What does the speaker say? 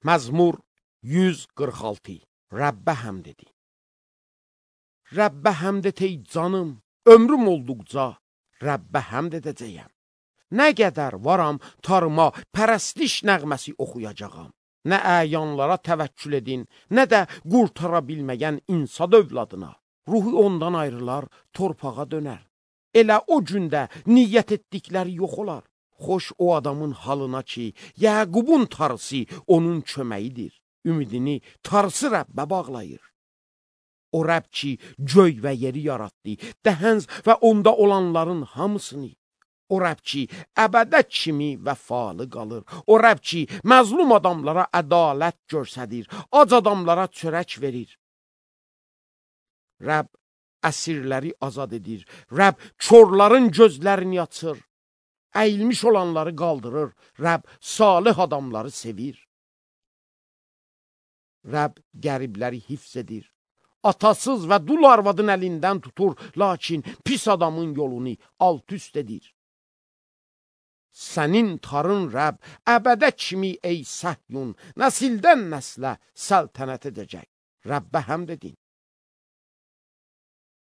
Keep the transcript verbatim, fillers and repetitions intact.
Məzmur yüz qırx altı. Rəbbə həmd edin. Rəbbə həmd et ey canım, ömrüm olduqca Rəbbə həmd edəcəyəm. Nə qədər varam tarıma pərəstiş nəğməsi oxuyacağam. Nə əyanlara təvəkkül edin, nə də qurtara bilməyən insan övladına. Ruhu ondan ayrılar, torpağa dönər. Elə o gündə niyyət etdikləri yox olar. Xoş o adamın halına ki, Yəqubun tarısı onun köməyidir. Ümidini tarısı Rəbbə bağlayır. O Rəbb ki, göy və yeri yaratdı, dəhənz və onda olanların hamısını. O Rəbb ki, əbədə kimi vəfalı qalır. O Rəbb ki, məzlum adamlara ədalət göstərir, ac adamlara çörək verir. Rəbb əsirləri azad edir. Rəbb körlərin gözlərini açır. Əyilmiş olanları qaldırır. Rəbb salih adamları sevir. Rəbb qəribləri hifz edir. Atasız və dul arvadın əlindən tutur, lakin pis adamın yolunu alt-üst edir. Sənin tarın Rəbb, əbədə kimi ey Səhyun, nəsildən nəslə səltənət edəcək. Rəbbə həmd edin.